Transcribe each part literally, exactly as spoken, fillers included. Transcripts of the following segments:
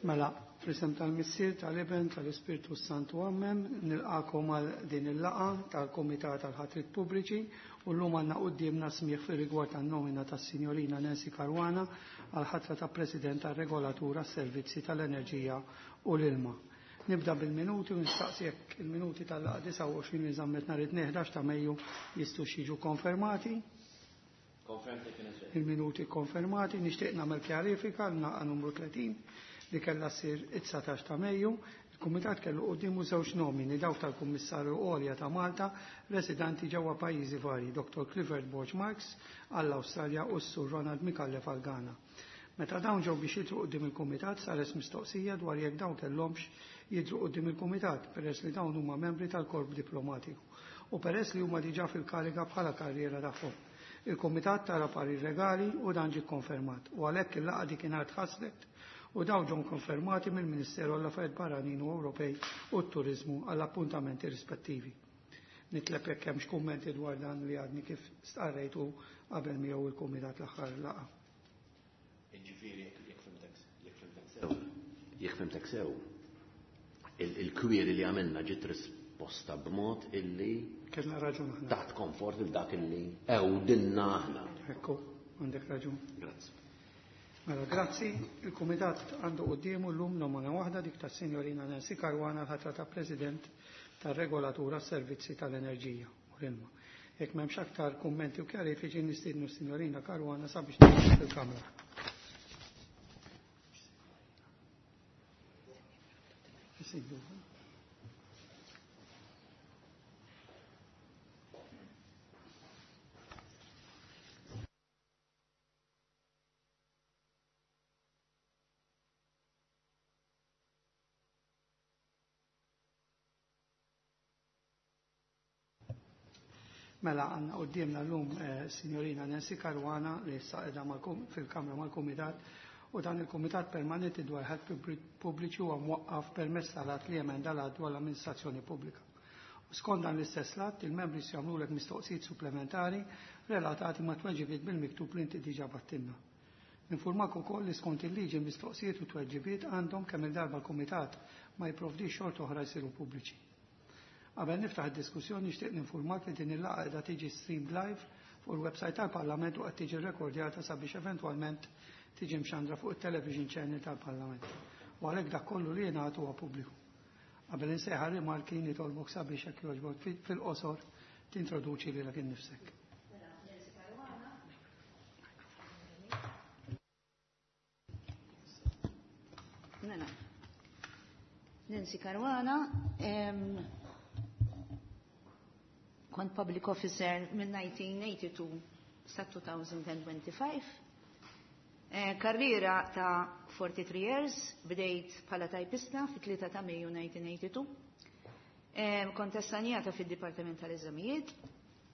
Mela, fl-isem tal-Missier, tal-Iben, tal-Ispirtu Santu, Amen, nilqakom għal din il-laqgħa tal-Kumitat tal-Ħatrit Pubbliċi u llum għandna quddiemna smigħ fir-rigward tan-nomina tas-Sinjorina Nancy Caruana għal ħatra ta' President tar-Regolatur għas-Servizzi tal-Enerġija u l-Ilma. Nibda bil-minuti u nistaqsi jekk il-minuti tal-laqgħa disgħa u għoxrin li żammet nhar it-tnejn ħdax ta' Mejju jistgħux jiġu konfermati. Il-minuti konfermati. Nixtieq nagħmel kjarifika l-laqgħa numru tletin li kellha ssir it-dsatax ta' Mejju. Il-Kumitat kellu quddiemu żewġ nomini, dawk tal-Kummissarju Għolja ta' Malta, residenti ġewwa pajjiżi varji, Doktor Clifford Borg Marks għall-Awstralja u s-Sur Ronald Micallef għal Ghana. Meta dawn ġew biex jidhru quddiem il-Kumitat saret mistoqsija dwar jekk dawn kellhomx jidhru quddiem il-Kumitat peress li dawn huma membri tal-korp diplomatiku u peress li huma diġà fil-kariga bħala karriera tagħhom. Il-Kumitat tara parir legali u dan ġie konfermat u għalhekk il-laqgħa dik tħassret u dawn ġew konfermati mill-Ministeru għall-Affarijiet Barranin u Ewropej u t-Turiżmu għall-appuntamenti rispettivi. Nitleb jekk hemmx kummenti dwar dan li għadni kif stqarrejtu qabel miegħu il-Kumitat l-aħħar laqgħa. Ġifieri jekk fimtek jekk fimtek sew, jekk fimtek sew, il-kwiri li għamilna ġiet risposta b'mod illi kellna raġun aħna. Taħt komfort il dak illi ewdilna aħna. Ekku, għandek raġun. Grazzi. Mela, grazzi. Il-Kumitat għandu quddiemu llum nomina waħda, dik tas-Sinjorina Nancy Caruana l-ħatra ta' President tar-Regolatura s-Servizzi tal-Enerġija u l-Ilma. Jekk m'hemmx aktar kummenti u kjarifiċi nistiednu s-Sinjorina Caruana sabiex tidħol fil-Kamra. Mela, għandna quddiemna llum Sinjorina Nancy Caruana li issa qiegħda fil-Kamra mal-Kumitat u dan il-Kumitat Permanenti dwar ħadd Pubbliċi huwa mwaqqaf permezz tal-att li emenda l-att dwar l-amministrazzjoni pubblika. U skont dan l-istess att, il-membri se jagħmlulek mistoqsijiet supplementari relatati ma' tweġibiet bil-miktub li inti diġà battilna. Ninformak ukoll li skont il-liġi mistoqsijiet u tweġibiet għandhom kemm il-darba l-Kumitat ma jipprovdix xorta oħra jsiru pubbliċi. Qabel niftaħ id-diskussjoni nixtieq ninformak li din il-laqgħa qiegħda tiġi streamed live fuq il-website tal-Parlament u qed tiġi rrekordjata sabiex eventwalment tiġi mxandra fuq it-television channel tal-Parlament. U għalhekk dak kollu li jingħad huwa pubbliku. Qabel insejħa rimarki nitolbok sabiex hekk jogħġbok fil-qosor tintroduċi lilek innifsek. Mela. Nancy Caruana, kont public officer minn nineteen eighty-two sa two thousand twenty-five. Karriera ta' forty-three years, bdejt bħala tajpista fit-tlieta ta' Mejju nineteen eighty-two. Kont assenjata fid-Dipartiment tal-Eżamijiet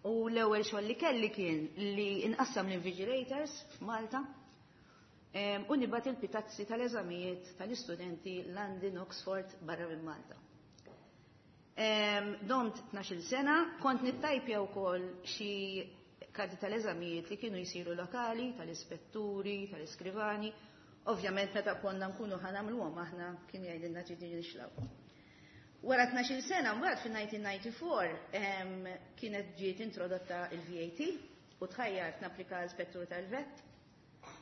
u l-ewwel xogħol li kelli kien li inqassam l-invigilators f'Malta u nibgħat il-pitazzi tal-eżamijiet tal-istudenti London, Oxford, barra minn Malta. Domt tnax-il sena, kont nittajpja wkoll xi karti tal-eżamijiet li kienu jsiru lokali, tal-ispetturi, tal-iskrivani. Ovvjament meta konna nkunu ħanamluhom aħna kien jgħidilna ġieli nixlaw. Wara tnax-il sena, mbagħad fin-nineteen ninety-four kienet ġiet introdotta il-V A T u tħajjart napplika l-ispettur tal-vet.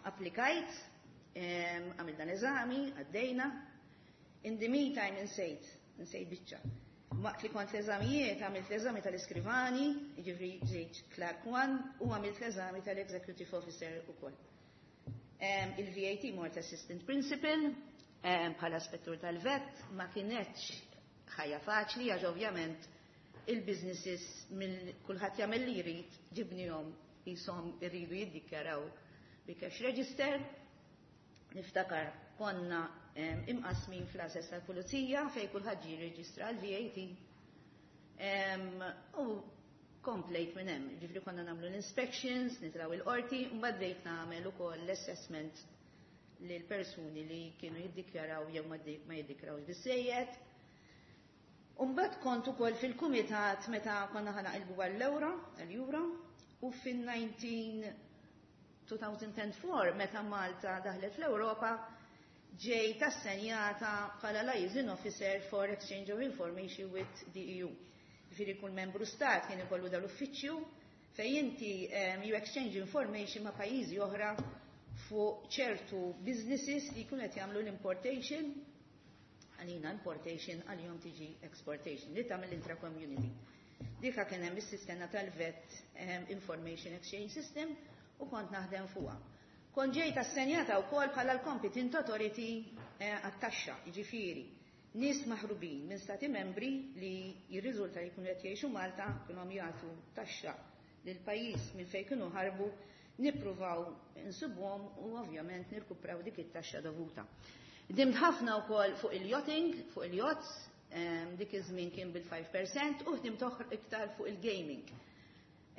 Applikajt, għamilna l-eżami, għaddejna. In the meantime insejt, insejt biċċa. Waqt li kont l-eżamijiet, għamilt l-eżami tal-iskrivani, jiġifieri ġejt Clerk one, u għamilt l-eżami tal-Executive Officer ukoll. Il-V A T mort Assistant Principal, bħala spettur tal-vet, ma kienetx ħajja faċli, għax ovvjament il-businesses mill kulħadd jagħmel li jrid, ġibnihom jisom irridu jiddikjaraw bi cash register. Niftakar konna imqasmin fl-assess tal-pulizija fej kulħadd ġie jirreġistra l-V A T. U komplejt minn hemm, ġifri konna nagħmlu l-inspections, nitraw il-qorti, u mbagħad bdejt nagħmel ukoll l-assessment lil persuni li kienu jiddikjaraw jew ma jiddikjarawx biżejjed. U mbagħad kont ukoll fil-kumitat meta konna ħanaqilbu għall-ewro, għall-euro, u fin-nineteen two thousand and four meta Malta daħlet fl-Ewropa Ġejt assenjata bħala liaison officer for exchange of information with the E U. Ġifieri kull membru stat kien ikollu dal-uffiċċju fejn inti um, you exchange information ma' pajjiżi oħra fuq ċertu businesses li jkunu qed jagħmlu l-importation, għalina importation, għalihom tiġi exportation, li tagħmel intra-community. Dika kien hemm is-sistema tal-VAT um, Information Exchange System u kont naħdem fuqha. Kont ġejt assenjata wkoll bħala l-competent authority eh, għat-taxxa, jiġifieri nies maħrubin minn stati membri li jirriżulta li jkunu qed jgħixu Malta kienu jagħtu taxxa lil pajjiż minn fejn kienu ħarbu, nippruvaw insibuhom u ovvjament nirkupraw dik it-taxxa dovuta. Ħdimt ħafna wkoll fuq il-yachting, fuq il-yachts, dik iż-żmien kien bil-five percent u ħdimt iktar fuq il-gaming.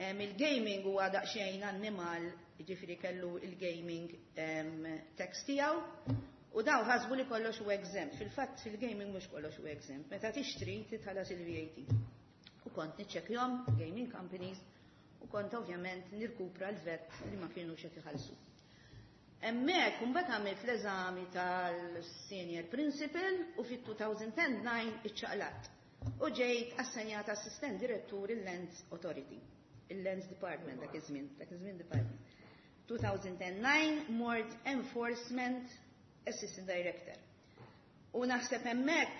Il-gaming huwa daqsxejn annimal, ġifieri kellu il-gaming tax tiegħu u daw ħasbu li kollox huwa exempt. Fil-fatt fil-gaming mhux kollox huwa exempt. Meta tixtri titħallas il-V A T. U kont niċċekkjahom gaming companies u kont ovvjament nirkupra l-VAT li ma kienu qed iħallsu. Hemmhekk mbagħad għamilt l-eżami tal-Senior Principal u fit-elfejn u disa iċċaqlaqt. U ġejt assenjata Assistent Direttur il-Lands Authority, il-Lands Department dak iż-żmien, dak iż-żmien department. elfejn u disa mort Enforcement Assistant Director. U naħseb hemmhekk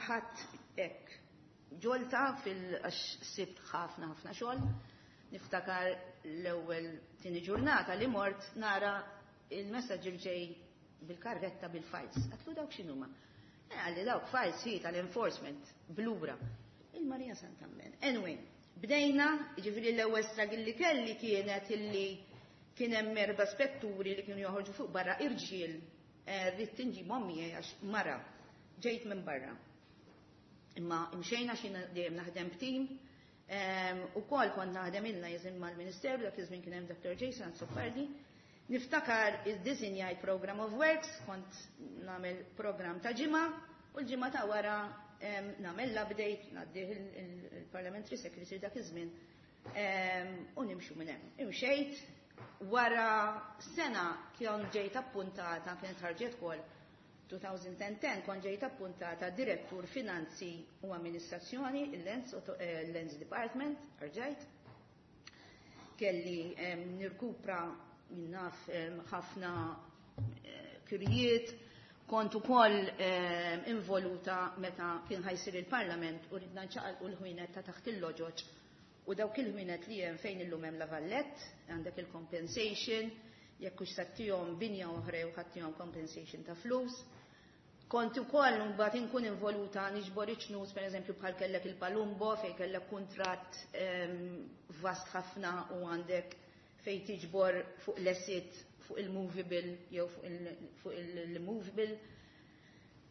ħadd hekk ġolta fil-għax sibt ħafna ħafna xogħol. Niftakar l-ewwel tieni ġurnata li mort nara il-messaġġ ġej bil-karretta bil-files. Għedtlu, "Dawk x'inhuma?" Eh, qalli, "Dawk files hi tal-enforcement blura." Il-Marija Santammen. Anyway, bdejna, ġifieri l-ewwel struggle li kelli kienet illi kien hemm erba' spetturi li kienu joħorġu fuq barra irġiel, eh, rrid inġibhom miegħi għax mara ġejt minn barra. Imma imxejna xi dejjem naħdem b'tim, u kol kont naħdem ilna jiżin mal-Ministeru, dak iż-żmien kien hemm Doctor Jason Azzopardi. Niftakar id-disinjajt program of works, kont nagħmel program ta' ġimgħa, u l-ġimgħa ta' wara nagħmel l-update, ngħaddih il-Parliamentary Secretary dak iż-żmien, u nimxu minn hemm. Imxejt, wara sena kien ġejt appuntata, kienet ħarġet kol elfejn u għaxra, kont ġejt appuntata Direttur Finanzi u Amministrazzjoni, il-Lands Department, rġajt. Kelli nirkupra minnaf ħafna eh, kirjiet, kont ukoll involuta meta kien ħa jsir il-Parlament u ridna nċaqalqu l-ħwienet ta' taħt il-loġoġ u dawk il-ħwienet li hemm fejn illum hemm La Vallette, għandek il-compensation, jekk hux se ttihom binja oħra jew ħa ttihom compensation ta' flus. Kont ukoll mbagħad inkun involuta niġbor iċ-ċnus, pereżempju bħal kellek il-Palumbo fejn kellek kuntratt vast ħafna u għandek fejn tiġbor fuq l-asset, fuq il-movable jew fuq il-movable.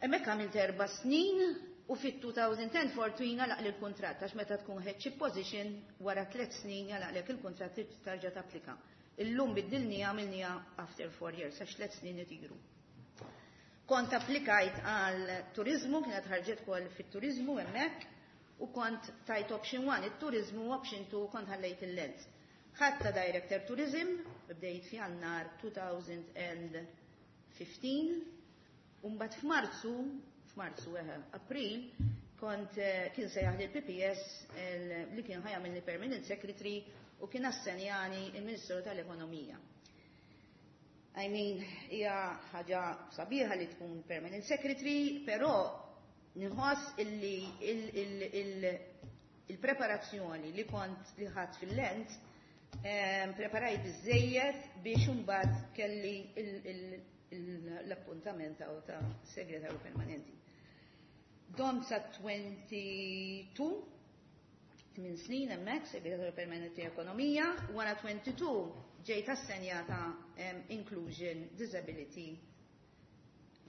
Hemmhekk għamilt erba' snin u fit-elfejn u għaxra fortuna għalaq il-kuntratt, għax meta tkun headship position wara tliet snin jagħlaqlek il-kuntratt, tarġa' tapplika. Illum biddilni, għamilniha after four years, għax tliet snin itiru. Kont applikajt għal turizmu, kienet ħarġet kol fit-turizmu hemmhekk, u kont tajt option one, it-turizmu, option two kont ħallejt il-Lands. Ħadtha Director Tourism, bdejt f'Jannar elfejn u ħmistax, u mbagħad f'Marzu, f'Marzu eħe, April, kont eh, kien sejjaħ l-P P S li kien ħa jagħmilni Permanent Secretary u kien assenjani il-Ministru tal-Ekonomija. I mean, hija ħaġa sabiħa li tkun permanent secretary, però nħoss illi il-preparazzjoni li kont li ħadd fil-Lands preparajt biżejjed biex imbagħad kelli l-appuntament ta' segretarju permanenti. Domt sa tnejn u għoxrin, tmien snin hemmhekk segretarju permanenti ekonomija, wara tnejn u għoxrin ġejt assenjata um, Inclusion, Disability,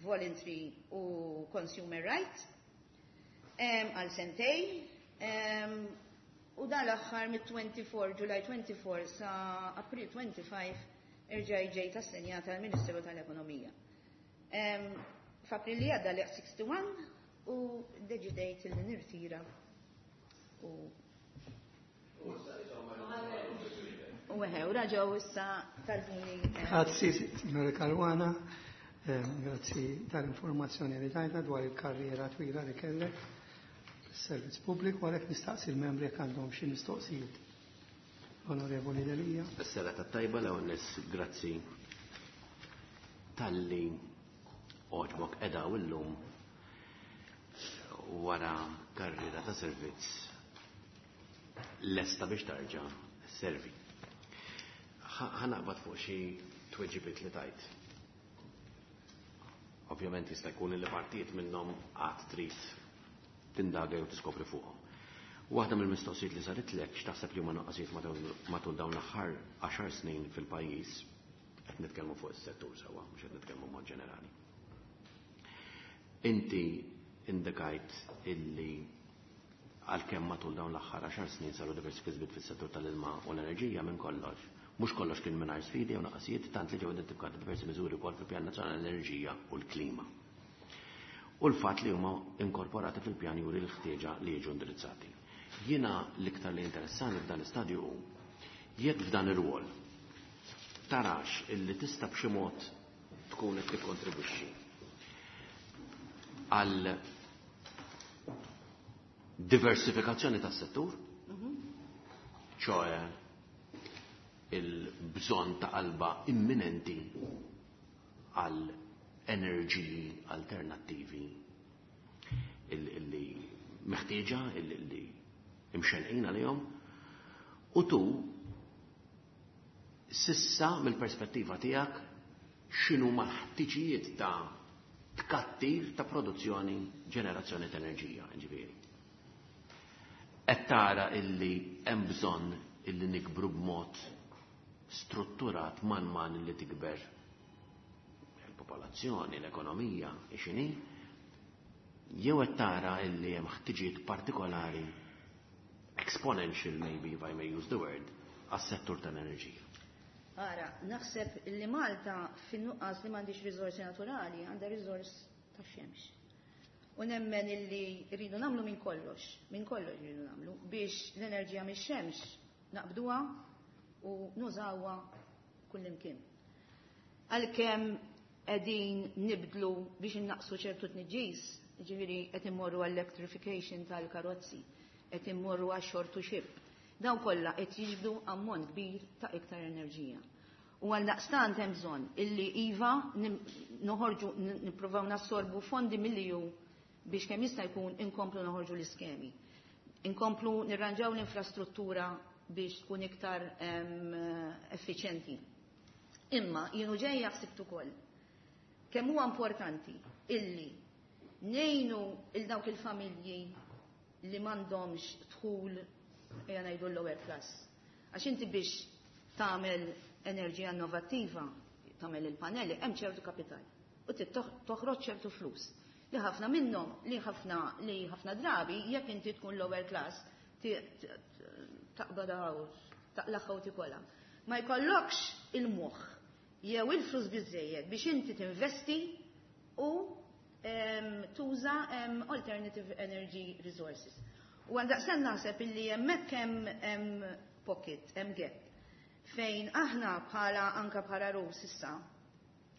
Voluntary u Consumer Rights għal um, sentejn. Um, u dan l-aħħar mit-twenty-four, July twenty-four sa April twenty-five irġaj ġejt assenjata għal Ministeru tal-Ekonomija. Um, F'April li għadda li wieħed u sittin u deċidejt li nirtira u U eħe, u reġgħu issa talbuni. Grazzi, signora Caruana. Grazzi tal-informazzjoni li tajna dwar il-karriera twila li kellek fis-servizz pubbliku, għalhekk nistaqsi l-membri jekk għandhom xi mistoqsijiet. Onorevoli Delia. Is-serata tajba l nies, grazzi talli għoġbok edha u llum wara karriera ta' servizz lesta biex tarġa' servi. Ħa naqbad fuq xi tweġibiet li tajt. Ovvjament jista' jkun li partijiet minnhom għad trid tindaga jew tiskopri fuqhom. Waħda mill-mistoqsijiet li saritlek, x'taħseb li huma nuqqasijiet matul dawn l-aħħar għaxar snin fil-pajjiż, qed nitkellmu fuq is-settur sewwa, mhux qed nitkellmu mod ġenerali. Inti indikajt illi għalkemm matul dawn l-aħħar għaxar snin saru diversi kisbiet fis-settur tal-ilma u l-enerġija, minn kollox, mhux kollox kien mingħajr sfidi u naqasijiet, tant li ġew identifikati diversi miżuri wkoll fil-Pjan Nazzjonali l-Enerġija u l-Klima. U l-fatt li huma inkorporati fil-pjan juri l-ħtieġa li jiġu indirizzati. Jiena l-iktar li interessani f'dan l-istadju hu jekk f'dan ir-rwol tarax illi tista' b'xi mod tkun qed tikkontribwixxi għal diversifikazzjoni tas-settur, ċoè il-bżonn ta' qalba imminenti għal enerġiji alternattivi illi meħtieġa, illi imxenqin għalihom, u tu sissa mill-perspettiva tiegħek x'inhu ħtiġijiet ta' tkattir ta' produzzjoni, ġenerazzjoni ta' enerġija, ġifieri. Qed tara illi hemm bżonn illi nikbru b'mod strutturat man man illi tikber il-popolazzjoni, l-ekonomija, x'inhi, jew qed tara illi hemm ħtiġijiet partikolari, exponential maybe, if I may use the word, għas-settur tal-enerġija? Ara, naħseb li Malta fin-nuqqas li m'għandix riżorsi naturali, għandha riżors ta' xemx. U nemmen illi rridu nagħmlu minn kollox, minn kollox rridu nagħmlu biex l-enerġija mix-xemx naqbduha u nużawha kullimkien. Għalkemm qegħdin nibdlu biex innaqsu ċertu tniġġis, ġifieri qed immorru għall-electrification tal-karozzi, qed immorru għax-shore to ship. Dawn kollha qed jiġbdu ammont kbir ta' iktar enerġija. U għal daqstant hemm bżonn illi iva noħorġu, nippruvaw nassorbu fondi mill-E U biex kemm jista' jkun inkomplu noħorġu l-iskemi. Inkomplu nirranġaw l-infrastruttura biex tkun iktar effiċjenti. Imma jienu ġejja ħsibt ukoll kemm huwa importanti illi ngħinu il dawk il-familji li m'għandhomx dħul, ejja ngħidu l-lower class. Għax inti biex tagħmel enerġija innovattiva, tagħmel il-panelli, hemm ċertu kapital. U toħroġ ċertu flus. Li ħafna minnhom, li ħafna li ħafna drabi, jekk inti tkun lower class, taqbadha, taqlaħħa u tikolha. Ma jkollokx il-moħħ jew il-flus biżejjed biex inti tinvesti u tuża alternative energy resources. U għaldaqstant naħseb illi hemmhekk hemm pocket, hemm gap, fejn aħna bħala anka bħala R U issa,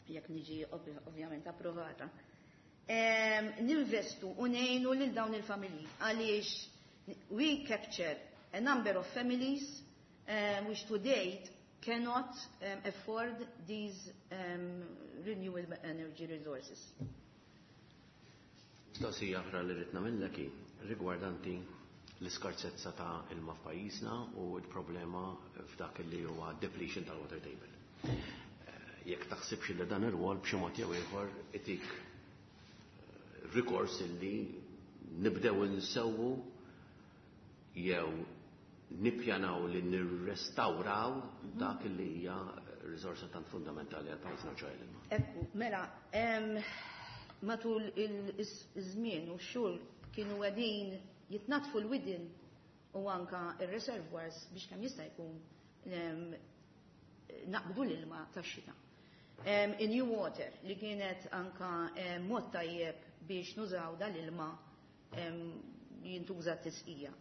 jekk niġi ovvjament approvata, ninvestu u ngħinu lil dawn il-familji għaliex we capture a number of families um, which to date cannot um, afford these um, renewable energy resources. Mistoqsija oħra li rrid nagħmillek hi rigwardanti l-iskarsezza ta' ilma f'pajjiżna u l-problema f'dak li huwa depletion tal-water table. Eh, jekk taħsibx li dan ir-rwol b'xi mod jew ieħor itik eh, rikors illi nibdew insewwu jew nippjanaw li nirrestawraw dak li hija riżorsa tant fundamentali għal pajjiżna, ċoè l-ilma. Ekku, mela, matul il-żmien u x-xhur kienu qegħdin jitnatfu l-widien u anka il-reservoirs biex kemm jista' jkun naqbdu l-ilma tax-xita. In-New Water li kienet anka mod tajjeb biex nużaw dal-ilma jintuża t-tisqija.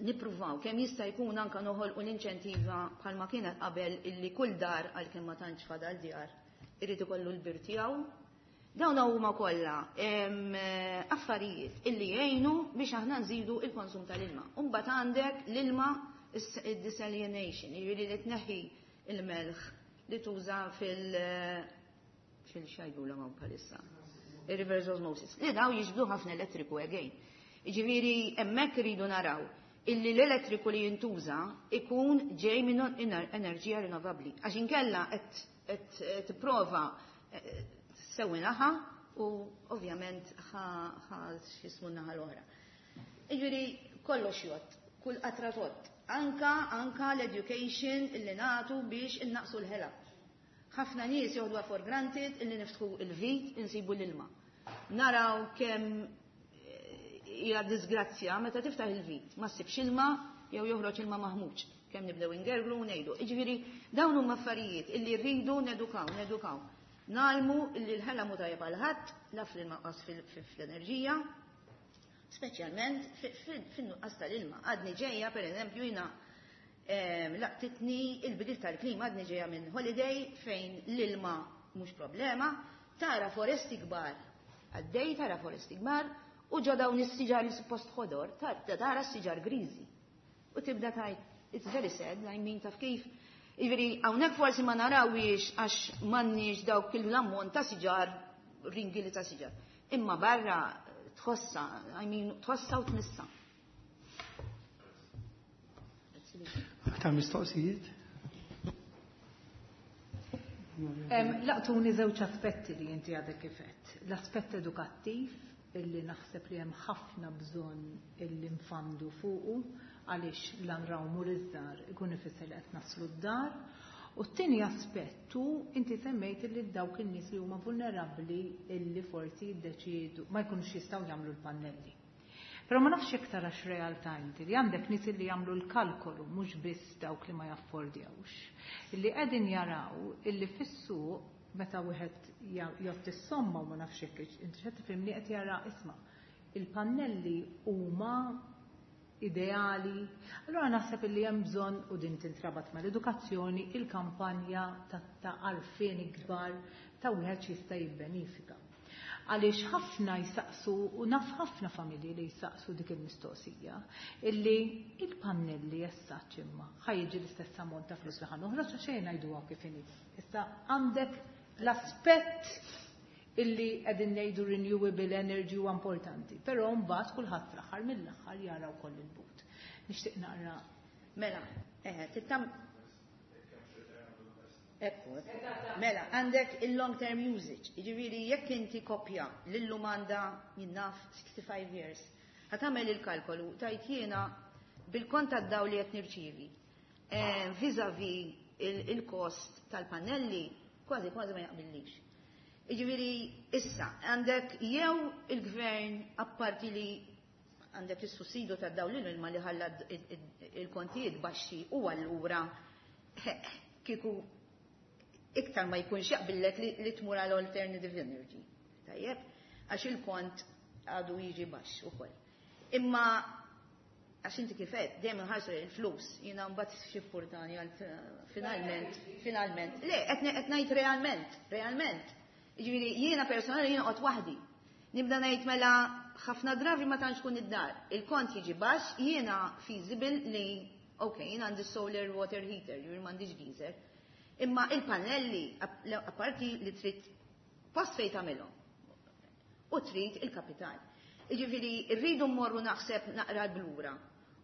Nippruvaw kemm jista' jkun anka noħolqu l-inċentiva bħalma kienet qabel illi kull dar, għalkemm ma tantx fadal djar, irid ikollu l-bir tiegħu. Dawn huma kollha affarijiet illi jgħinu biex aħna nżidu il-konsum tal-ilma. U mbagħad għandek l-ilma, id-desalination, jiġifieri li tneħħi il-melħ li tuża fil- fil-xajdu la bħalissa. Il-reverse osmosis. Li daw jiġbdu ħafna elettriku again. Jiġifieri hemmhekk iridu naraw illi l-elettriku li jintuża ikun ġej minn enerġija rinnovabbli. Għax inkella qed tipprova eh, sewwi naħa u ovvjament ħa x'jismu naħa l-oħra. Jiġifieri kollox jgħodd, kull qatra tgħodd. Anka anka l-education illi nagħtu biex innaqsu l-ħela. Ħafna nies joħduha for granted illi niftħu il-vit insibu l-ilma. Naraw kemm hija disgrazzja meta tiftaħ il-vit, ma ssibx ilma jew joħroġ ilma maħmuġ. Kemm nibdew ingerglu u ngħidu. Jiġifieri dawn huma affarijiet illi rridu nedukaw, nedukaw. Ngħallmu illi l-ħela mhu tajjeb għal ħadd, la fil-nuqqas fl-enerġija, speċjalment fin-nuqqas tal-ilma. Għadni ġejja, per eżempju, jiena laqtitni il-bidil tal-klima, għadni ġejja minn holiday fejn l-ilma mhux problema, tara foresti kbar, għaddej tara foresti kbar, u ġo dawn is-siġar li suppost ħodor, tara s-siġar griżi. U tibda tgħid, "It's very sad," I mean, taf kif. Jiġifieri, hawnhekk forsi ma narawiex għax m'għandniex dawk l-ammont ta' siġar, ringili ta' siġar. Imma barra tħossa, I mean, tħossa u tmissa. Aktar mistoqsijiet? Laqtuni żewġ aspetti li inti għadek kif għedt. L-aspett edukattiv, illi naħseb li hemm ħafna bżonn illi nfandu fuqu, għaliex l-anrawmu l-iżżar ikun ifisser li qed naslu d-dar. U t-tieni aspettu, inti semmejt illi dawk in-nies li huma vulnerabbli illi forsi jiddeċiedu ma jkunux jistgħu jagħmlu l-pannelli. Però ma nafx jekk tarax realtà inti li għandek nies li jagħmlu l-kalkolu, mhux biss dawk li ma jaffordjawx, illi qegħdin jaraw illi fis-suq meta wieħed jgħodd is-somma, u ma nafx jekk inti x'qed tifhimni, qed jara, isma', il-pannelli huma ideali. Allora naħseb illi hemm bżonn, u din tintrabat mal-edukazzjoni, il-kampanja ta' għarfien ikbar ta' wieħed jista' jibbenifika. Għaliex ħafna jisaqsu, u naf ħafna familji li jisaqsu dik il-mistoqsija, illi il-pannelli jessaċ imma ħa jiġi l-istess ammont ta' flus li ħa noħroġ, għax xejn ngħiduha kif inhi. Issa għandek l-aspett illi qegħdin ngħidu renewable energy huwa importanti, però mbagħad kulħadd fl-aħħar mill-aħħar jara wkoll il-but. Nixtieq naqra. Mela, eh, tittam. Ekku, mela, għandek il-long term usage, jiġifieri jekk inti kopja l-lum għandha jinnaf sixty-five years, ħa tagħmel il-kalkolu, tajt jiena bil-kont tad-dawl li qed nirċievi, eh, vis-a-vis il-kost tal-pannelli, kważi kważi ma jaqbillix. Jiġifieri issa, għandek jew il-gvern, apparti li għandek is-sussidu tad-dawl l-ilma li ħalla il-kontijiet baxxi, u allura kieku iktar ma jkunx jaqbillek li tmur għal alternative energy. Tajjeb, għax il-kont għadu jiġi baxx ukoll. Imma għax inti kif għedt, dejjem inħarsu il-flus, jiena mbagħad x'impurtani għal finalment, finalment. Le, qed ngħid realment, realment. Jiġifieri jiena personali jiena qgħod waħdi. Nibda ngħid mela ħafna drabi ma tantx kun id-dar. Il-kont jiġi baxx, jiena feasible li, ok, jiena għandi solar water heater, jiġifieri m'għandix geyser. Imma il-pannelli, apparti li trid post fejn tagħmilhom u trid il-kapital. Jiġifieri rridu mmorru naħseb naqra lura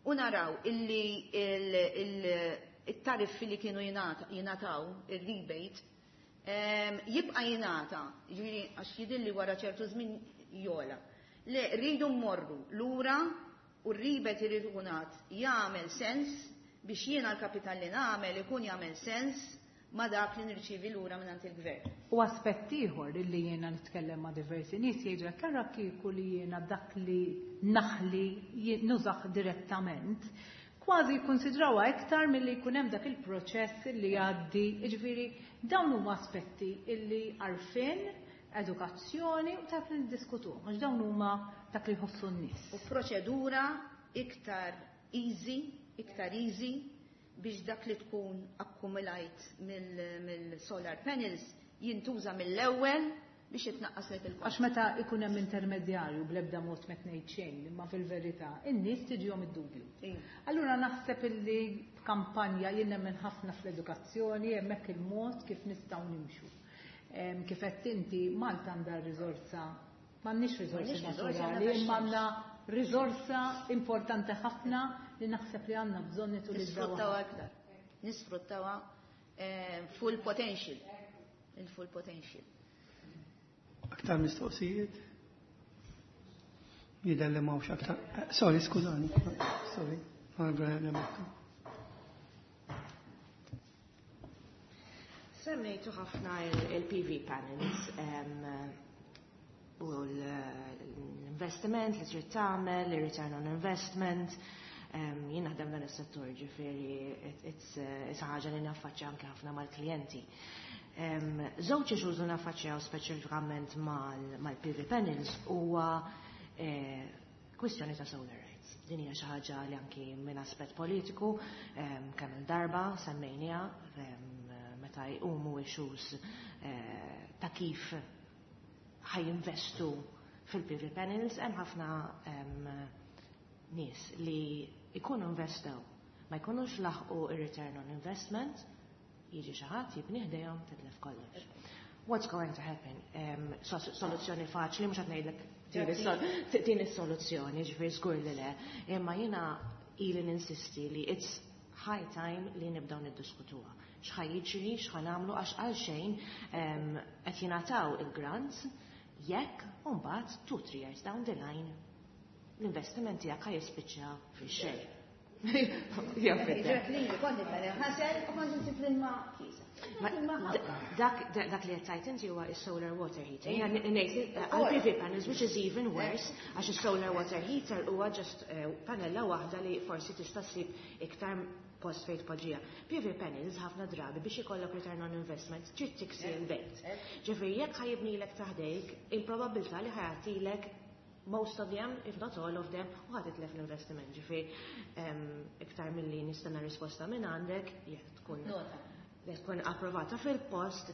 u naraw illi il-tariffi li kienu jingħataw, il-rebate, jibqa' jingħata, jiġifieri għax jidilli wara ċertu żmien jola. Le, rridu mmorru lura u r-rebate irid ikun jagħmel sens biex jiena l-kapital li nagħmel ikun jagħmel sens ma dak li nirċievi lura minn il-gvern. U aspett ieħor illi jiena nitkellem ma' diversi nies jgħidu hekk, ara kieku li jiena dak li naħli nużah direttament, kważi jikkonsidrawha iktar milli jkun hemm dak il-proċess li jgħaddi. Jiġifieri dawn huma aspetti illi għarfien, edukazzjoni u dak li niddiskutuhom, għax dawn huma dak li jħossu n-nies. U proċedura iktar easy, iktar easy biex dak li tkun akkumulajt mill-solar panels jintuża mill-ewwel biex jitnaqqas lek il-kost. Għax meta ikun hemm intermedjarju bl-ebda mod ma ngħid xejn, imma fil-verità in-nies tiġihom id-dubju. Allura naħseb illi kampanja jien nemmen ħafna fl-edukazzjoni, hemmhekk il-mod kif nistgħu nimxu. Kif qed inti, Malta għandha riżorsa, m'għandniex riżorsi naturali, imma għandna riżorsa importanti ħafna li naħseb li għandna bżonn nitulizzaw. Nisfruttawha aktar. Nisfruttawha full potential. Il-full potential. Aktar mistoqsijiet? Jidher li m'hawnx aktar. Sorry, skużani. Sorry. Semmejtu ħafna il-P V panels u l-investiment li trid tagħmel, il-return on investment. Jien naħdem dan is-settur, ġifieri it's ħaġa li naffaċċja anke ħafna mal-klijenti. Żewġ issues li naffaċċjaw speċifikament mal-P V panels huwa kwistjoni ta' solar rights. Din hija xi ħaġa li anki minn aspett politiku kemm il-darba semmejniha meta jqumu issues ta' kif ħa jinvestu fil-P V panels. Hemm ħafna nies li jkunu investew, ma jkunux laħqu ir-return on investment, jiġi xi ħadd jibni ħdejhom, titlef kollox. What's going to happen? Soluzzjoni faċli, mhux qed ngħidlek din is-soluzzjoni, ġifieri żgur li le, imma jiena ili ninsisti li it's high time li nibdew niddiskutuha. X'ħa jiġri, x'ħa nagħmlu, għax għal xejn qed jingħataw il-grants jekk mbagħad two, three years down the line l-investiment tiegħek ħa jispiċċa fix-xejn. Ġek li kont ħasel u kont insib l-ilma kisa. Dak li qed tgħid inti huwa is-solar water heater. Għal-P V panels, which is even worse, għax is-solar water heater huwa just panella waħda li forsi tista' ssib iktar post fejn tpoġġiha. P V panels ħafna drabi biex ikollok return on investment trid tiksi l-bejt. Ġifieri jekk ħa jibnilek ta' ħdejk, il-probabilità li ħa jagħtilek most of them, if not all of them, u ħa titlef l-investiment. Ġifieri iktar milli nistenna risposta minn għandek, jekk tkun li tkun approvata fil-post,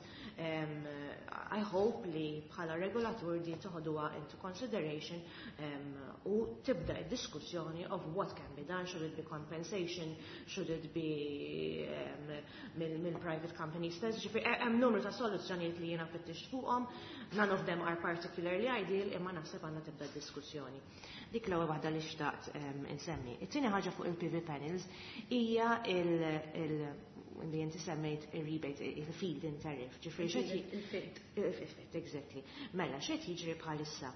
I hope li bħala regolatur di toħduha into consideration u tibda id-diskussjoni of what can be done, should it be compensation, should it be mill private companies stess. Ġifieri hemm numru ta' soluzzjonijiet li jiena fittix fuqhom, none of them are particularly ideal, imma naħseb għandna tibda diskussjoni. Dik l-ewwel waħda li xtaqt insemmi. It-tieni ħaġa fuq il-P V panels hija il- li inti semmejt il-rebate, il-feed-in tariff. Ġifieri x'qed il-fit, exactly. Mela, x'qed jiġri bħalissa?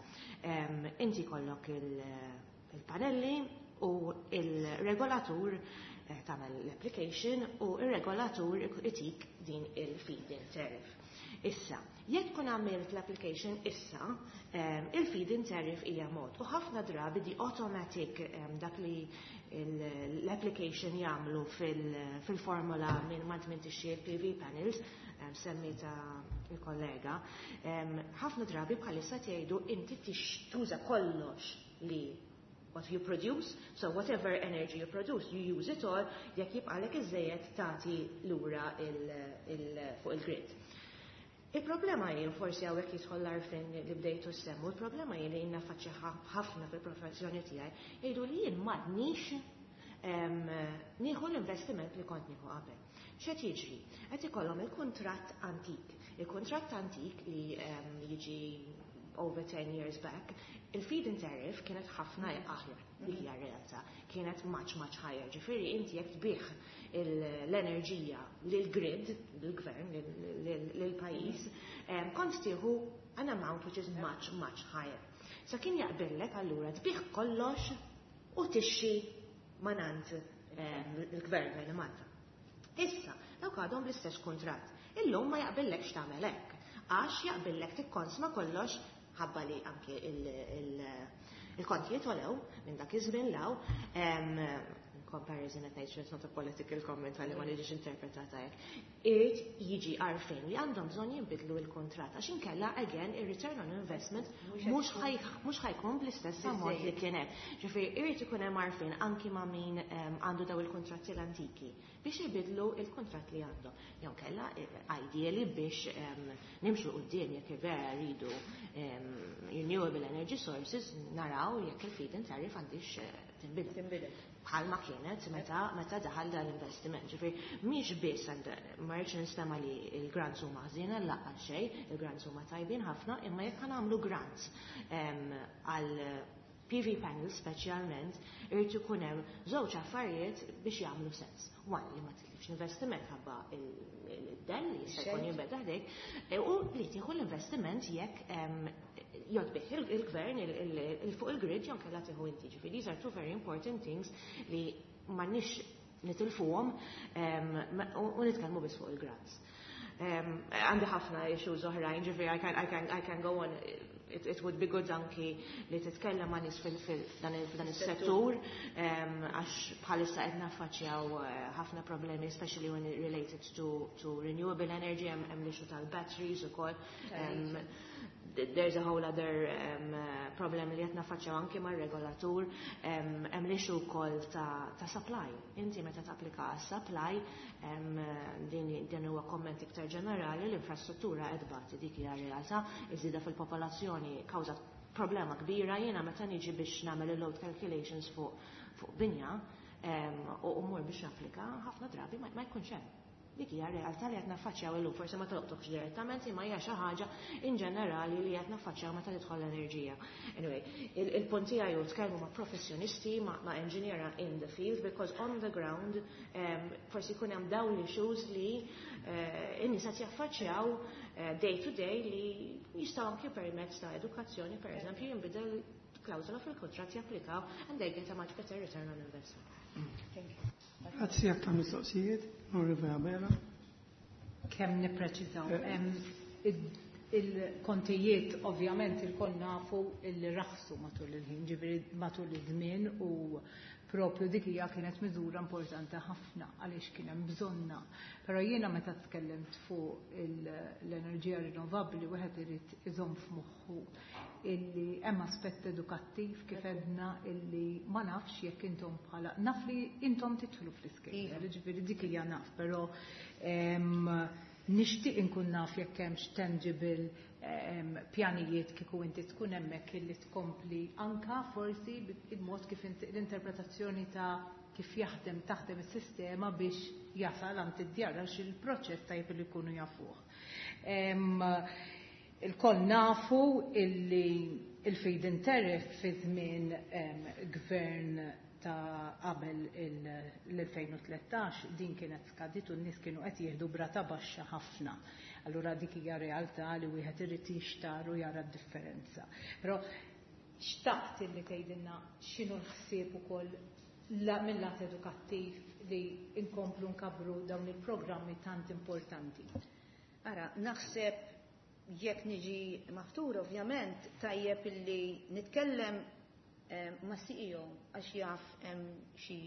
Inti kollok il-panelli u il-regolatur tagħmel l-application u il-regolatur itik din il-feed-in tariff. Issa, jekk tkun għamilt l-application issa, il-feed-in tariff hija mod. U ħafna drabi di automatic dak li l-application jagħmlu fil-formula minn ma tmintix il-P V panels, semmita il-kollega, ħafna drabi bħalissa tgħidu inti tuża kollox li what you produce, so whatever energy you produce, you use it all, jekk jibqalek iżejjed tagħti lura fuq il-grid. Il-problema hi, forsi hawnhekk jidħol l-għarfien li bdejtu semmu, il-problema hi li jiena naffaċċja ħafna fil-professjoni tiegħi, jgħidu li jien m'għadnix nieħu l-investiment li kont nieħu qabel. X'qed jiġri? Qed ikollhom il-kuntratt antik. Il-kuntratt antik li jiġi over ten years back, il-feed-in tariff kienet ħafna aħjar, dik hija realtà, kienet much, much higher. Ġifieri inti jekk tbigħ l-enerġija lill-grid, lill-gvern, lill-pajjiż, kont tieħu an amount which is much, much higher. Sa kien jaqbillek allura tbigħ kollox u tixtri mingħand il-gvern minn Malta. Issa, dawk għadhom bl-istess kuntratt. Illum ma jaqbillekx tagħmel hekk, għax jaqbillek tikkonsma kollox ħabba li anke il-kontijiet għolew minn dak iż-żmien 'l hawn. Comparison at nature, it's not a political comment għalli ma niġix interpretata hekk. Irid jiġi għarfien li għandhom bżonn jinbidlu l-kuntratt għax inkella, again, ir-return on investment mhux ħa jkun bl-istess ammont li kien hemm. Ġifieri irid ikun hemm għarfien anki ma' min għandu daw il-kontratti l-antiki biex jibidlu il-kontrat li għandhom. Jew kella, ideally, biex nimxu quddiem, jekk vera rridu renewable energy sources, naraw jekk il-feed-in tariff għandix tinbidel bħalma kienet meta meta daħal dan l-investiment. Ġifieri mhix biss, ma rridx nistema li l-grants huma ħżiena, lanqas xejn, il-grants huma tajbin ħafna, imma jekk nagħmlu grants għal P V panels speċjalment, irid ikun hemm żewġ affarijiet biex jagħmlu sens. One, li ma titlifx investiment ħabba il-dell li jista' jkun jinbeda ħdejk, u li tieħu l-investiment jekk jgħodd il-gvern il fuq il-grid jew kellha tieħu inti. Ġifieri these are two very important things li m'għandniex nitilfuhom u nitkellmu biss fuq il-grants. Għandi ħafna issues oħrajn, ġifieri I can, I can, I can go on. It, it would be good anki li titkellem ma' nies f'dan is-settur, għax bħalissa qed naffaċċjaw ħafna problemi, especially when related to, to renewable energy, hemm l-issue tal-batteries ukoll. There's a whole other um, problem li qed naffaċċjaw anki mar-regolatur, hemm l-issue wkoll ta', ta' supply. Inti meta tapplika għas-supply, um, din, din huwa komment iktar ġenerali, l-infrastruttura qed tbati, dik hija realtà, iż-żieda fil-popolazzjoni kawża problema kbira. Jiena meta niġi biex nagħmel il-load calculations fuq fuq binja um, u mmur biex napplika, ħafna drabi ma, ma jkunx hemm. Dik hija realtà li qed naffaċċjaw illum, forsi ma tolqtokx direttament, imma hija xi ħaġa in ġenerali li qed naffaċċjaw meta tidħol l-enerġija. Anyway, il-punt tiegħi hu tkellmu ma' professjonisti, ma' engineer in the field, because on the ground um, forsi jkun hemm dawn l-issues li uh, in-nies qed jaffaċċjaw uh, day to day li jistgħu anke permezz ta' edukazzjoni, per eżempju, jinbidel klawżola fil-kuntratt, japplikaw and they get a much better return on investment. Thank you. Grazzi. Aktar mistoqsijiet, Onorevole Abela. Kemm nippreċiżaw. Il-kontijiet ovvjament ilkoll nafu illi raħsu matul il-ħin, ġifieri matul iż-żmien, u propju dik hija kienet miżura importanti ħafna għaliex kien hemm bżonna. Però jiena meta tkellimt fuq l-enerġija rinnovabbli, wieħed irid iżomm f'moħħu illi hemm aspett edukattiv kif edna, illi ma nafx jekk intom bħala, naf li intom tidħlu fl-iskejjel, ġifieri dik hija naf, però nixtieq inkun naf jekk hemmx tangible pjanijiet kieku inti tkun hemmhekk illi tkompli anka forsi il-mod kif l-interpretazzjoni ta' kif jaħdem taħdem is-sistema biex jasal għand id-djar, għax il-proċess tajjeb li jkunu jafuh. Ilkoll nafu illi il-feed-in tariff fi żmien gvern ta' qabel l-elfejn u tlettax din kienet skadit u n-nies kienu qed jieħdu b'rata baxxa ħafna. Allura dik hija realtà li wieħed irid jixtar u jara d-differenza. Però xtaqt illi tgħidilna x'inhu l-ħsieb ukoll mill-lat edukattiv li inkomplu nkabru dawn il-programmi tant importanti. Ara, naħseb jekk niġi maħtur, ovvjament, tajjeb illi nitkellem ma' C E O għax jaf xi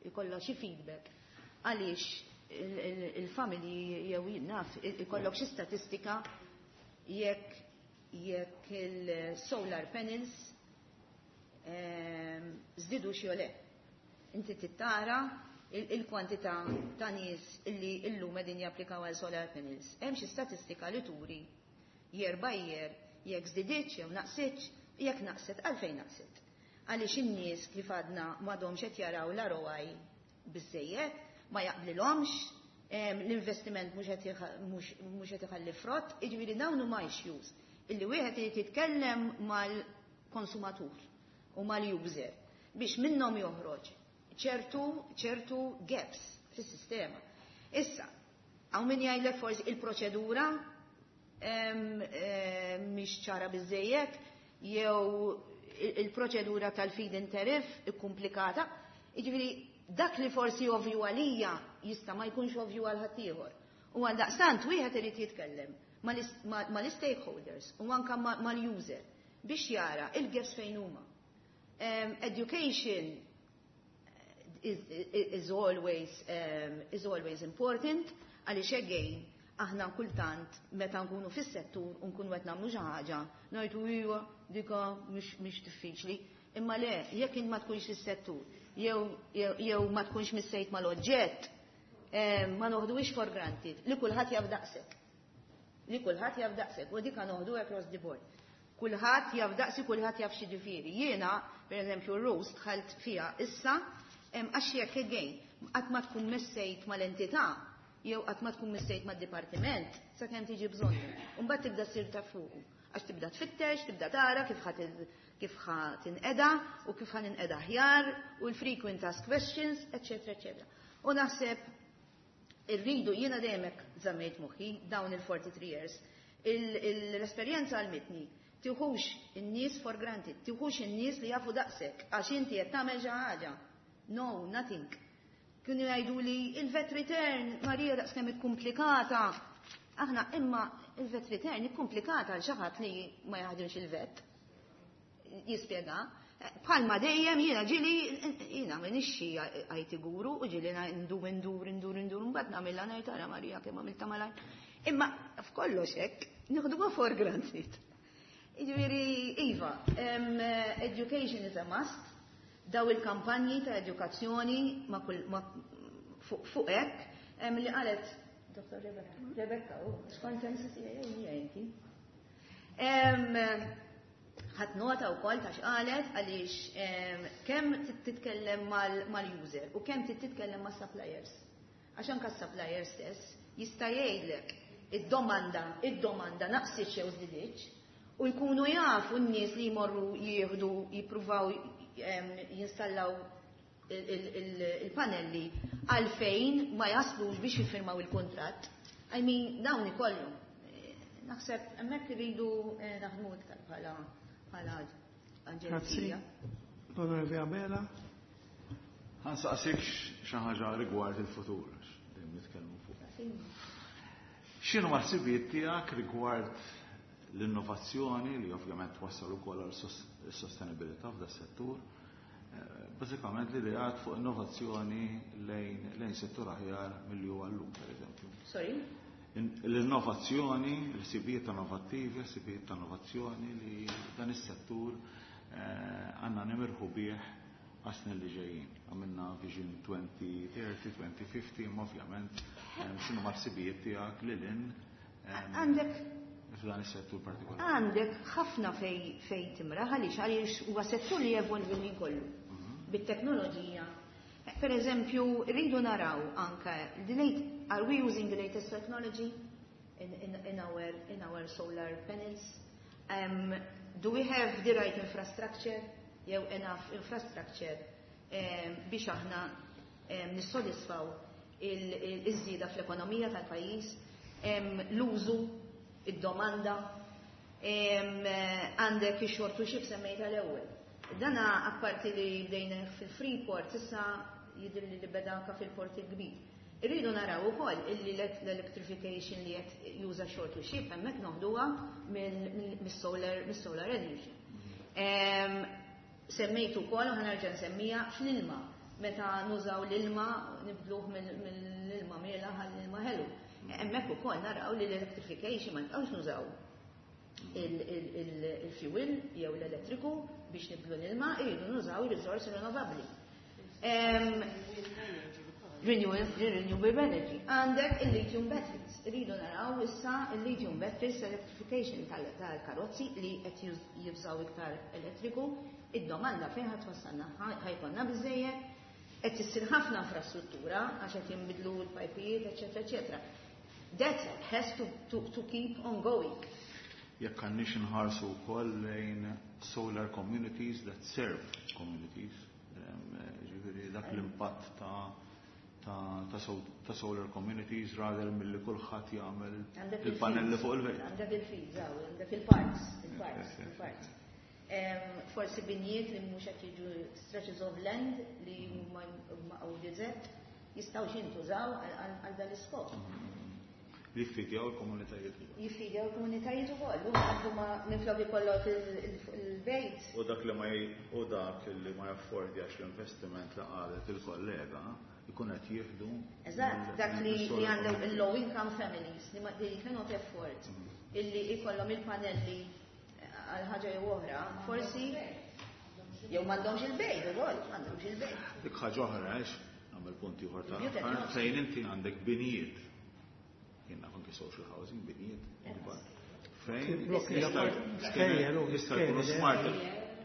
ikollha xi feedback. Għaliex il-familji jew naf ikollok xi statistika jekk jekk il-solar panels żdiedu xi le. Inti tittara il-kwantità ta' nies illi illum qegħdin japplikaw għal solar panels. Hemm xi statistika li turi year by year jekk żdiditx jew naqsitx, jekk naqset, għalfejn naqset? Għaliex in-nies, kif għadna, m'għadhomx qed jaraw l-R O I biżejjed, ma jaqblilhomx, l-investiment mhux qed iħalli frott, jiġifieri dawn huma issues illi wieħed irid jitkellem mal-konsumatur u mal-user biex minnhom joħroġ ċertu ċertu gaps fis-sistema. Issa, hawn min jgħidlek forsi il-proċedura mhix ċara biżejjed jew il-proċedura tal-feed-in tariff ikkumplikata. Jiġifieri dak li forsi ovvju għalija jista' ma jkunx ovvju għal ħaddieħor. U għal daqstant wieħed irid jitkellem mal-stakeholders u anka mal-user biex jara il-gaps fejn huma. Education is, is always, um, is always important, għaliex again, aħna kultant meta nkunu fis-settur u nkunu qed nagħmlu xi ħaġa, ngħidu iva dika mhix diffiċli. Imma le, jekk int ma tkunx fis-settur, jew jew ma tkunx missejt mal-oġġett, ma noħduhiex for granted, li kulħadd jaf daqsek. Li kulħadd jaf daqsek, u dika noħdu across the board. Kulħadd jaf daqsi, kulħadd jaf xi ġifieri. Jiena, per eżempju, R O S dħalt fiha issa, għax jekk again, qatt ma tkun missejt mal-entità, jew qatt ma tkun missejt mad-dipartiment, sakemm tiġi bżonnu. Mbagħad tibda ssir ta' fuqu. Għax tibda tfittex, tibda tara kif ħa kif ħa tinqeda u kif ħa ninqeda aħjar u l-frequent ask questions, eċetera, eċetera. U naħseb irridu, jiena dejjem żammejt moħħi dawn il-forty-three years. L-esperjenza għallmitni, tiħux in-nies for granted, tiħux in-nies li jafu daqsek, għax inti qed tagħmel xi ħaġa. No, nothing. Kienu jgħidu li il-VAT return, Marija, daqs kemm ikkumplikata. Aħna imma il-VAT return ikkumplikata għal xi ħadd li ma jaħdimx il-VAT. Jispjega. Bħalma dejjem jiena ġieli jiena m'iniex xi I T guru u ġieli ndur ndur ndur ndur, mbagħad nagħmilha, ngħid, "Ara Marija kemm għamilta malajr." Imma f'kollox hekk nieħduha for granted. Jiġifieri iva, education is a must, daw il-kampanji ta' edukazzjoni ma' kull fuq hekk li qalet Dottor Rebecca, Rebecca, u skont M C C A inti. Ħadt nota wkoll ta' x'qalet, għaliex kemm titkellem mal-user u kemm titkellem mas-suppliers. Għax anke s-suppliers stess jista' jgħidlek id-domanda, id-domanda naqsit jew żdiditx, u jkunu jafu n-nies li jmorru jieħdu jippruvaw jinstallaw il-panelli għalfejn ma jaslux biex jiffirmaw il-kontrat. I mean, dawn ikollu. Naħseb hemmhekk irridu eh, naħdmu iktar bħala bħala aġenzija. L-Onorevoli Abela. Ħa nsaqsik xi ħaġa rigward il-futur, dejjem nitkellmu fuq. X'inhu ħsibijiet tiegħek rigward l-innovazzjoni li ovvjament twassal ukoll għal sostenibilità f'da settur? Eh, bażikament l-ideat fuq innovazzjoni lejn lejn settur aħjar milli huwa llum, pereżempju. Sorry? L-innovazzjoni, l-ħsibijiet innovattivi, ħsibijiet ta' innovazzjoni li dan is-settur eh, għandna nimirħu bih għas-snin li ġejjin. Għamilna Vision twenty thirty, twenty fifty, imma ovvjament eh, x'inhu ħsibijiet tiegħek lil hinn Għandek f'dan is-settur partikolari? Għandek ħafna fej fej timraħ, għaliex għaliex huwa settur li jevolvi minn kollu. Bit-teknoloġija. Per eżempju, rridu naraw anke the late, are we using the latest technology in, in, in, our, in our solar panels? Um, do we have the right infrastructure? Jew enough infrastructure um, biex aħna um, nissodisfaw il-żieda fl-ekonomija tal-pajjiż, um, l-użu, id-domanda, għandek ix-shore to ship semmejta l-ewwel. Dana apparti li bdejna fil-Freeport, issa jidher li beda anka fil-port il-kbir. Irridu naraw ukoll illi l-electrification li qed juża shore to ship hemmhekk noħduha mis-solar mis-solar energy. Semmejtu wkoll u ħa nerġa' nsemmija fl-ilma. Meta nużaw l-ilma, nibdluh mill-ilma mielaħ għall-ilma ħelu. Hemmhekk ukoll naraw li l-electrification ma nibqgħux nużaw il-fuel jew l-elettriku biex nibdlu l-ilma, irridu nużaw il-risorsi rinnovabbli. Renewable energy. Għandek il-lithium batteries. Irridu naraw issa il-lithium batteries, electrification tal-karozzi li qed jużaw iktar elettriku, id-domanda fejn ħa twassalna, ħa jkollna biżejjed, qed issir ħafna infrastruttura għax qed jinbidlu l-pajpijiet, eċetera, eċetera. That has to, to, to keep on going. Jekk għandniex inħarsu wkoll lejn solar communities that serve communities, ġifieri dak l-impatt ta' ta', ta, ta solar communities rather mill-li kulħadd jagħmel il-panelli fuq il-bejt. Għandek il-fields, għandek il-parks, il-parks, il-parks. Forsi binjiet li mhux qed jiġu, stretches of land li huma O D Z jistgħu jintużaw għal dan l-iskop. Li jiffidjaw il-komunitajiet ukoll. Jiffidjaw il-komunitajiet ukoll, u ma minflok ikollok il-bejt. U dak li ma u dak li ma jaffordjax l-investiment li qalet il-kollega ikun qed jieħdu. Eżatt, dak li għandhom il-low income families li ma they cannot afford illi ikollhom il-panelli għal ħaġa jew oħra, forsi jew m'għandhomx il-bejt ukoll, m'għandhomx il-bejt. Dik ħaġa oħra għax nagħmel punt ieħor ta' fejn inti għandek binijiet. Jien naf anke social housing binijiet kbar. Fejn jista' jkunu smart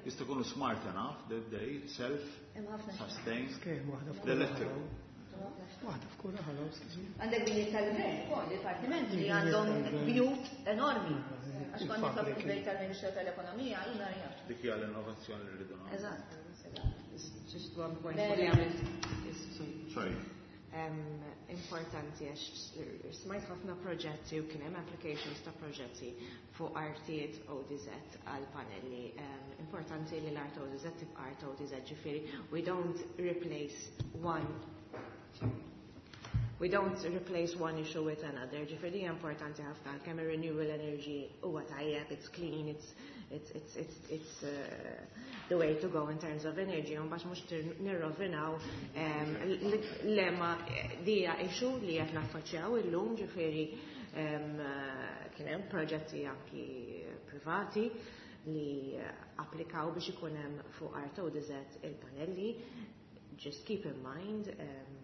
jista' jkunu smart enough that they self sustain l-electric. Waħda f'kull raħal. Għandek binijiet tal-gvern ukoll, dipartimenti li għandhom bjut enormi. Għax kont nitlob il-bejt tal-Ministru tal-Ekonomija, jiena jaf. Dik hija l-innovazzjoni li rridu nagħmlu. Eżatt. Just one point. Sorry. Importanti għax smajt ħafna proġetti u kien hemm applications ta' proġetti fuq artijiet O D Z għal panelli. Importanti li l-art O D Z tibqa' art O D Z, ġifieri we don't replace one We don't replace one issue with another. Ġifieri importanti ħafna kemm ir-renewable energy huwa tajjeb, it's clean, it's it's it's it's it's uh, the way to go in terms of energy. Un bax mhux nirrovinaw lema dija issue li qed naffaċċjaw illum, ġifieri kien hemm proġetti anki privati li applikaw biex ikun hemm fuq art O D Z il-panelli. Just keep in mind um,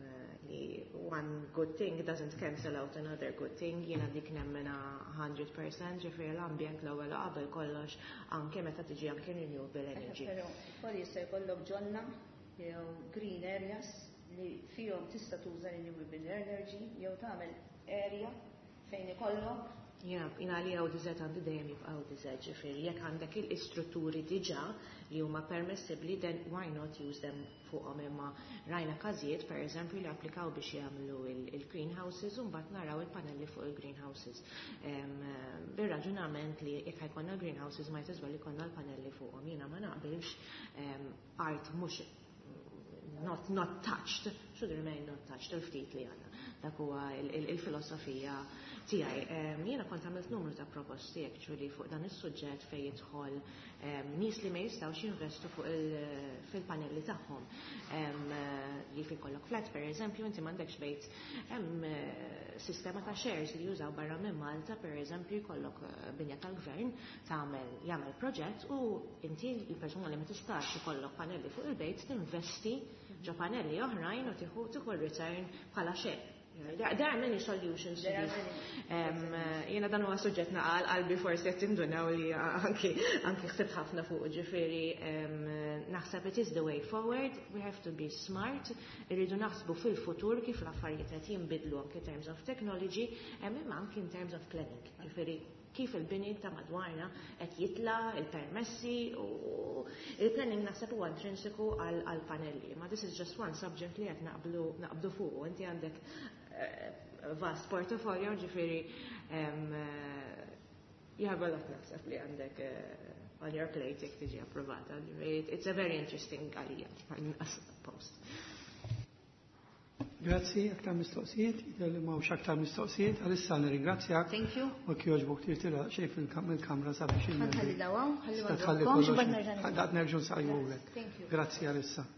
li one good thing doesn't cancel out another good thing. Jiena dik nemmena hundred percent, ġifieri l-ambjent l-ewwel u qabel kollox anke meta tiġi anke renewable energy. Però ukoll jista' jkollok ġonna jew green areas li fihom tista' tuża renewable energy jew tagħmel area fejn ikollok. Jiena jiena li O D Z għandi dejjem jibqa' O D Z, ġifieri jekk għandek il-istrutturi diġà li huma permessibbli, then why not use them fuqhom. Imma rajna każijiet pereżempju li applikaw biex jagħmlu il-greenhouses u mbagħad naraw il-panelli fuq il-greenhouses. Bir-raġunament li jekk ħajkonna greenhouses ma jtizwel ikollna l-panelli fuqhom. Jiena ma naqbilx art mhux not, not touched, should remain not touched, il-ftit li għandna. Dak huwa il-filosofija tiegħi. Jiena kont għamilt numru ta' proposti actually fuq dan is-suġġett fejn jidħol nies li ma jistgħux jinvestu fuq fil-panelli tagħhom. Li fi kollok flat pereżempju, inti m'għandekx bejt hemm sistema ta' shares li jużaw barra minn Malta, pereżempju jkollok binja tal-gvern tagħmel jagħmel proġett u inti l-persuna li ma tistax ikollok panelli fuq il-bejt tinvesti ġo panelli oħrajn u tieħu tieħu return bħala share. There, there are many solutions to this. Jiena dan huwa suġġett naqal qalbi forsi qed tindunaw li anki anki ħsibt ħafna fuq, ġifieri naħseb it is the way forward, we have to be smart, irridu naħsbu fil-futur kif l-affarijiet qed jinbidlu anki in terms of technology, imma anki in terms of planning. Ġifieri kif il-bini ta' madwarna qed jitla, il-permessi u il-planning naħseb huwa intrinsiku għal panelli. Ma this is just one subject li qed naqblu naqbdu fuq. Inti għandek vast portfolio, ġifieri you have a lot naħseb li għandek on your plate jekk tiġi approvata. It's a very interesting għalija post. Grazzi, aktar mistoqsijiet, jidher li m'hawnx aktar mistoqsijiet, għalissa nirringrazzjak. Thank you. U jogħġbok tirtira xejn fil-kamra sabiex il- Ħalli dawaw, ħalli ma Tħalli nżommkomx, kollox. bad nerġa' nibda. Daqt nerġgħu nsaqjulek. Thank you. Grazzi għalissa.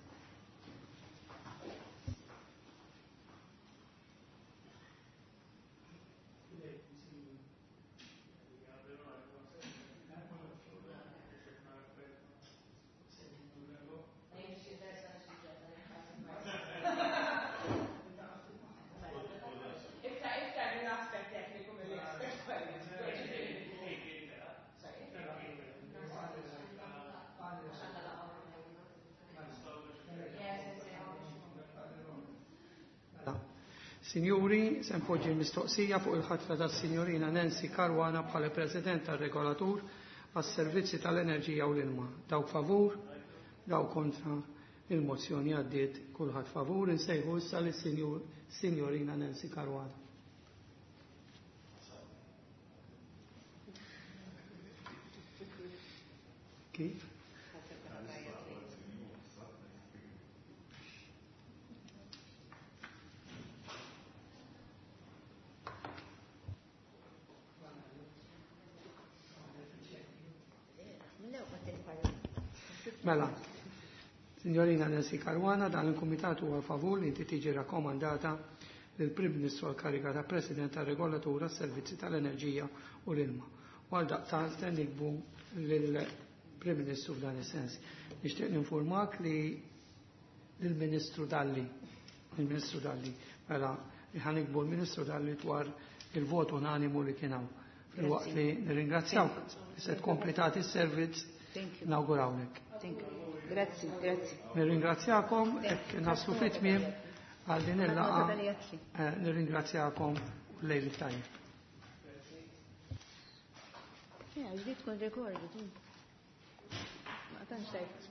Signori, se npoġġi l-mistoqsija fuq il-ħatra tas-Sinjorina Nancy Caruana bħala President tar-Regolatur għas-Servizzi tal-Enerġija u l-Ilma. Dawk favur, dawk kontra, il-mozzjoni għaddiet kulħadd favur. Insejħu issa lis-Sinjorina Nancy Caruana. Kif? Mela, Signorina Nancy Caruana, dan il-Kumitat huwa favur li inti tiġi rakkomandata lill-Prim Ministru għall-kariga ta' President tar-Regolatur għas-Servizzi tal-Enerġija u l-Ilma. U għaldaqstant nikbu lill-Prim Ministru f'dan is-sens. Nixtieq ninformak li lill-Ministru Dalli, il-Ministru Dalli, mela ħa niktbu l-Ministru Dalli dwar il-vot unanimu li kien hawn. Filwaqt li nirringrazzjawk li se tkompli tagħti s-servizz, nawgurawlek. Thank you. Grazzi, grazzi. Nirringrazzjakom, hekk naslu fit-tmiem għal din il-laqgħa. Eh, nirringrazzjakom u lejl tajjeb. Ja, ġdid tkun recorded. Ma tantx tajt.